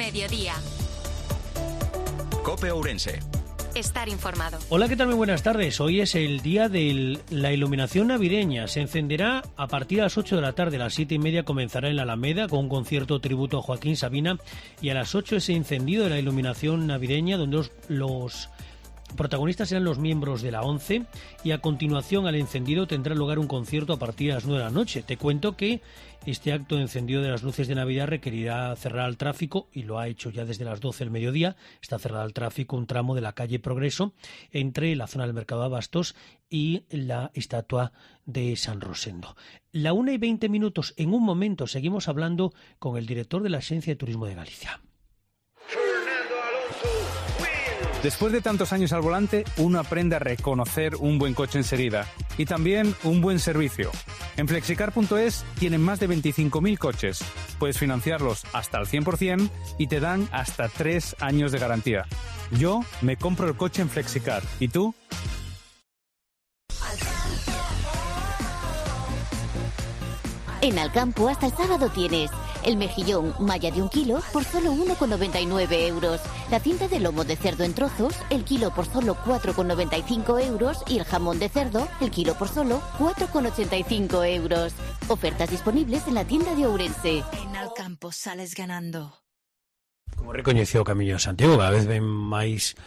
mediodía. COPE Ourense. Estar informado. Hola, ¿qué tal? Muy buenas tardes. Hoy es el día de la iluminación navideña. Se encenderá a partir de las 8 de la tarde. A las 7:30 comenzará en la Alameda con un concierto tributo a Joaquín Sabina. Y a las 8 ese encendido de la iluminación navideña, donde los protagonistas serán los miembros de la ONCE, y a continuación al encendido tendrá lugar un concierto a partir de las 9 de la noche. Te cuento que este acto de encendido de las luces de Navidad requerirá cerrar al tráfico, y lo ha hecho ya desde las 12 del mediodía. Está cerrado al tráfico un tramo de la calle Progreso entre la zona del Mercado de Abastos y la estatua de San Rosendo. La 1:20. En un momento seguimos hablando con el director de la Agencia de Turismo de Galicia. Después de tantos años al volante, uno aprende a reconocer un buen coche enseguida y también un buen servicio. En Flexicar.es tienen más de 25.000 coches. Puedes financiarlos hasta el 100% y te dan hasta 3 años de garantía. Yo me compro el coche en Flexicar. ¿Y tú? En Alcampo hasta el sábado tienes el mejillón malla de 1 kilo por solo 1,99 euros. La cinta de lomo de cerdo en trozos, el kilo por solo 4,95 euros. Y el jamón de cerdo, el kilo por solo 4,85 euros. Ofertas disponibles en la tienda de Ourense. En Alcampo sales ganando. Como recoñeceu o Camiño de Santiago, cada vez ven máis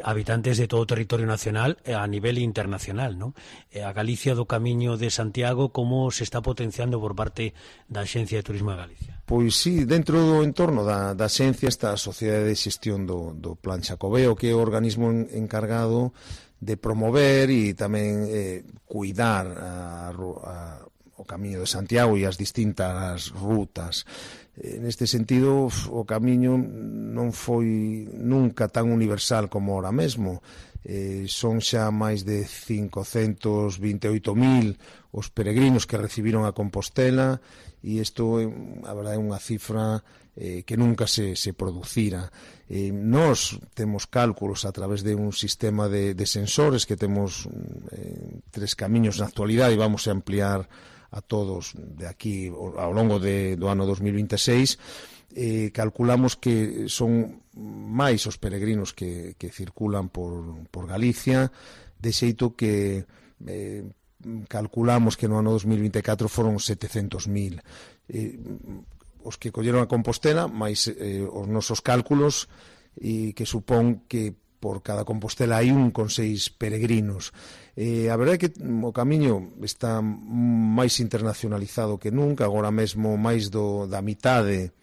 habitantes de todo o territorio nacional a nivel internacional, non? A Galicia do Camiño de Santiago, como se está potenciando por parte da Axencia de Turismo de Galicia? Pois sí, dentro do entorno da Axencia está a Sociedade de Xestión do Plan Xacobeo, que é o organismo encargado de promover e tamén cuidar o Camiño de Santiago e as distintas rutas. Neste sentido, o Camiño non foi nunca tan universal como ahora mesmo. Son xa máis de 528.000 os peregrinos que recibiron a Compostela, e isto, a verdade, é unha cifra que nunca se producira. Nós temos cálculos a través de un sistema de sensores que temos 3 camiños na actualidade, e vamos a ampliar a todos de aquí ao longo do ano 2026. Calculamos que son máis os peregrinos que circulan por Galicia, de xeito que calculamos que no ano 2024 foron 700.000 os que colleron a Compostela, máis os nosos cálculos, e que supón que por cada Compostela hai 1,6 peregrinos. A verdade é que o Camiño está máis internacionalizado que nunca. Agora mesmo máis da mitade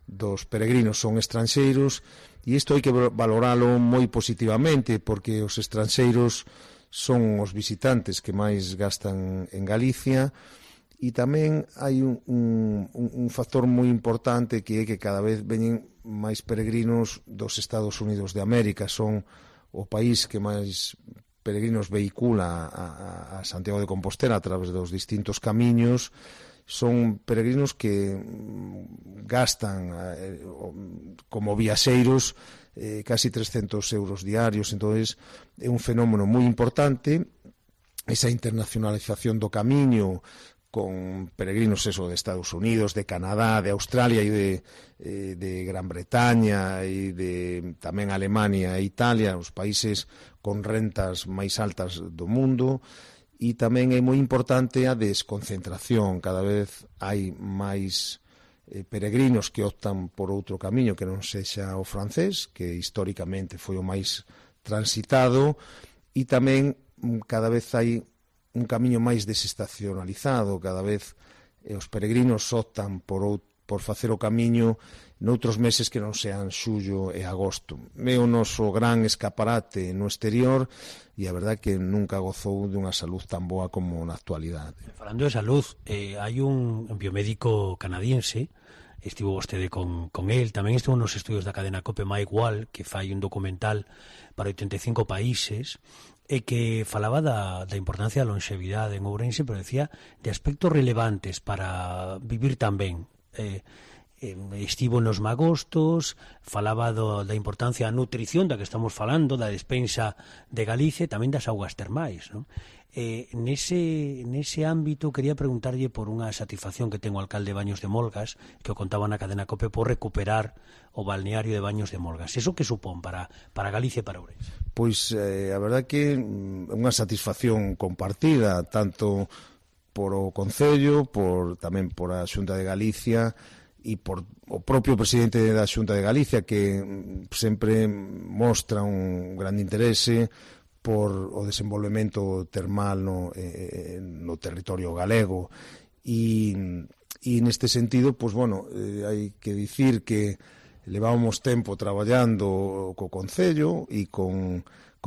dos peregrinos son estranxeiros, e isto hai que valoralo moi positivamente, porque os estranxeiros son os visitantes que máis gastan en Galicia. E tamén hai un factor moi importante, que é que cada vez veñen máis peregrinos dos Estados Unidos de América. Son o país que máis peregrinos vehicula a Santiago de Compostela a través dos distintos camiños. Son peregrinos que gastan como viaxeiros casi 300 euros diarios. Entonces é un fenómeno moi importante esa internacionalización do camiño, con peregrinos de Estados Unidos, de Canadá, de Australia e de Gran Bretaña, e de tamén Alemania e Italia, os países con rentas máis altas do mundo. E tamén é moi importante a desconcentración. Cada vez hai máis peregrinos que optan por outro camiño que non sexa o francés, que históricamente foi o máis transitado, e tamén cada vez hai un camiño máis desestacionalizado. Cada vez os peregrinos optan por facer o camiño noutros meses que non sean xullo e agosto. É o noso gran escaparate no exterior, e a verdade que nunca gozou dunha salud tan boa como na actualidade. Falando de salud, hai un biomédico canadiense, estivo vostede con el, tamén estivo nos estudios da cadena COPE Mike Wall, que fai un documental para 85 países, e que falaba da importancia da longevidade en Ourense, pero decía de aspectos relevantes para vivir tan ben. estivo nos magostos, falaba da importancia da nutrición da que estamos falando, da despensa de Galicia e tamén das augas termais, non? Nese ámbito quería preguntarlle por unha satisfacción que ten o alcalde de Baños de Molgas, que o contaba na cadena COPE, por recuperar o balneario de Baños de Molgas. Eso que supón para Galicia e para Ourense? Pois a verdade que é unha satisfacción compartida, tanto por o Concello, tamén por a Xunta de Galicia e por o propio presidente da Xunta de Galicia, que sempre mostra un grande interese por o desenvolvemento termal no territorio galego e neste sentido, pois, bueno, hai que dicir que levábamos tempo traballando co Concello e con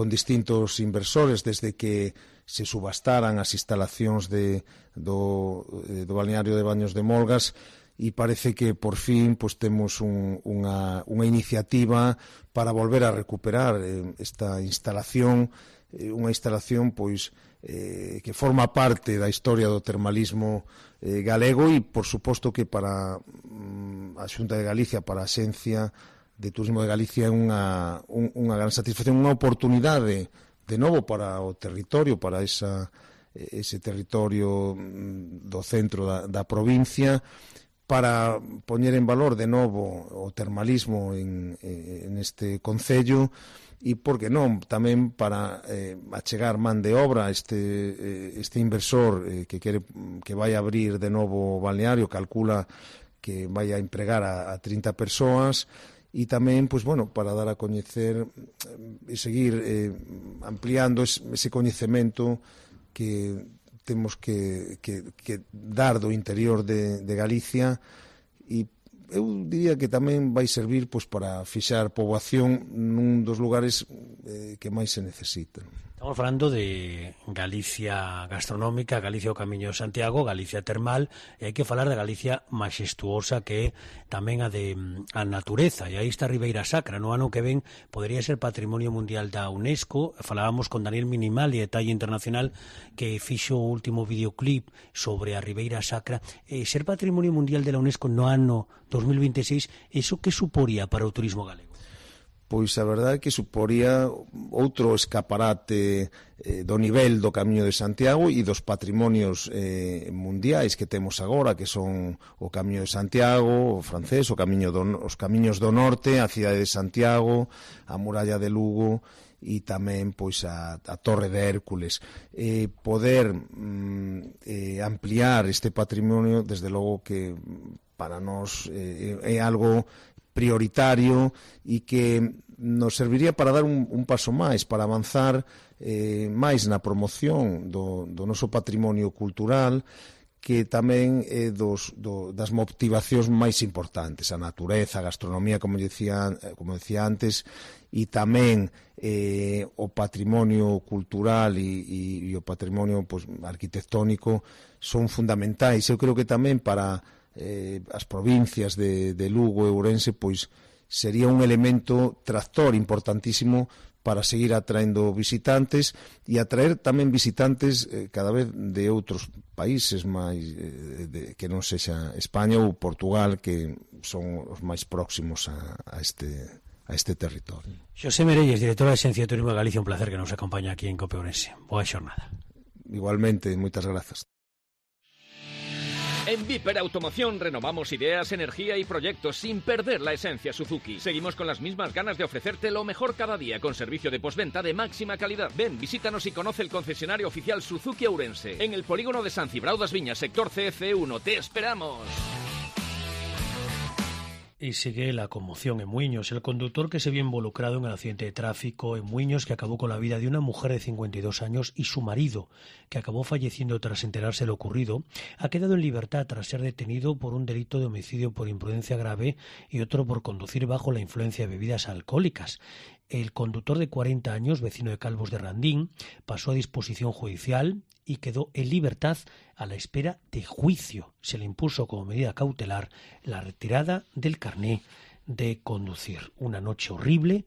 distintos inversores desde que se subastaran as instalacións do balneario de Baños de Molgas, e parece que por fin pois temos unha iniciativa para volver a recuperar esta instalación, unha instalación pois que forma parte da historia do termalismo galego e por suposto que para a Xunta de Galicia, para a Axencia de Turismo de Galicia é unha gran satisfacción, unha oportunidade de novo para o territorio, para ese territorio do centro da provincia, para poñer en valor de novo o termalismo en este concello e, por que non, tamén para achegar man de obra este inversor que vai abrir de novo o balneario, calcula que vai a empregar a 30 persoas, e tamén, pois, bueno, para dar a coñecer e seguir ampliando ese coñecemento que temos que dar do interior de Galicia, e eu diría que tamén vai servir pois para fixar poboación nun dos lugares que máis se necesitan. Estamos falando de Galicia gastronómica, Galicia o Camiño de Santiago, Galicia termal, e hai que falar da Galicia maxestuosa, que é tamén a natureza, e aí está Ribeira Sacra. No ano que ven podería ser Patrimonio Mundial da UNESCO. Falábamos con Daniel Minimali, de Talla Internacional, que fixo o último videoclip sobre a Ribeira Sacra. Ser Patrimonio Mundial de la UNESCO no ano 2026, iso que suporía para o turismo galego? Pois a verdade é que suporía outro escaparate do nivel do Camiño de Santiago e dos patrimonios mundiais que temos agora, que son o Camiño de Santiago, o francés, os camiños do norte, a cidade de Santiago, a muralla de Lugo e tamén pois a Torre de Hércules. Poder ampliar este patrimonio, desde logo que para nós é algo prioritario e que nos serviría para dar un paso máis, para avanzar máis na promoción do noso patrimonio cultural, que tamén é das motivacións máis importantes, a natureza, a gastronomía, como decía antes, e tamén o patrimonio cultural e o patrimonio pois, arquitectónico son fundamentais. Eu creo que tamén para as provincias de Lugo e Ourense pois sería un elemento tractor importantísimo para seguir atraendo visitantes e atraer tamén visitantes cada vez de outros países máis que non sexa España ou Portugal, que son os máis próximos a este territorio. Xosé Merelles, director da Axencia de Turismo de Galicia, un placer que nos acompaña aquí en COPE Ourense. Boa xornada. Igualmente, moitas grazas. En Viper Automoción renovamos ideas, energía y proyectos sin perder la esencia Suzuki. Seguimos con las mismas ganas de ofrecerte lo mejor cada día, con servicio de postventa de máxima calidad. Ven, visítanos y conoce el concesionario oficial Suzuki Ourense, en el polígono de San Cibrao das Viñas, sector CF1. ¡Te esperamos! Y sigue la conmoción en Muiños. El conductor que se vio involucrado en el accidente de tráfico en Muiños, que acabó con la vida de una mujer de 52 años y su marido, que acabó falleciendo tras enterarse de lo ocurrido, ha quedado en libertad tras ser detenido por un delito de homicidio por imprudencia grave y otro por conducir bajo la influencia de bebidas alcohólicas. El conductor de 40 años, vecino de Calvos de Randín, pasó a disposición judicial y quedó en libertad a la espera de juicio. Se le impuso como medida cautelar la retirada del carné de conducir. Una noche horrible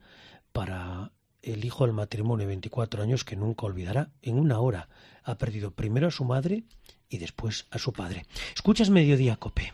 para el hijo del matrimonio de 24 años que nunca olvidará. En una hora ha perdido primero a su madre y después a su padre. Escuchas Mediodía COPE.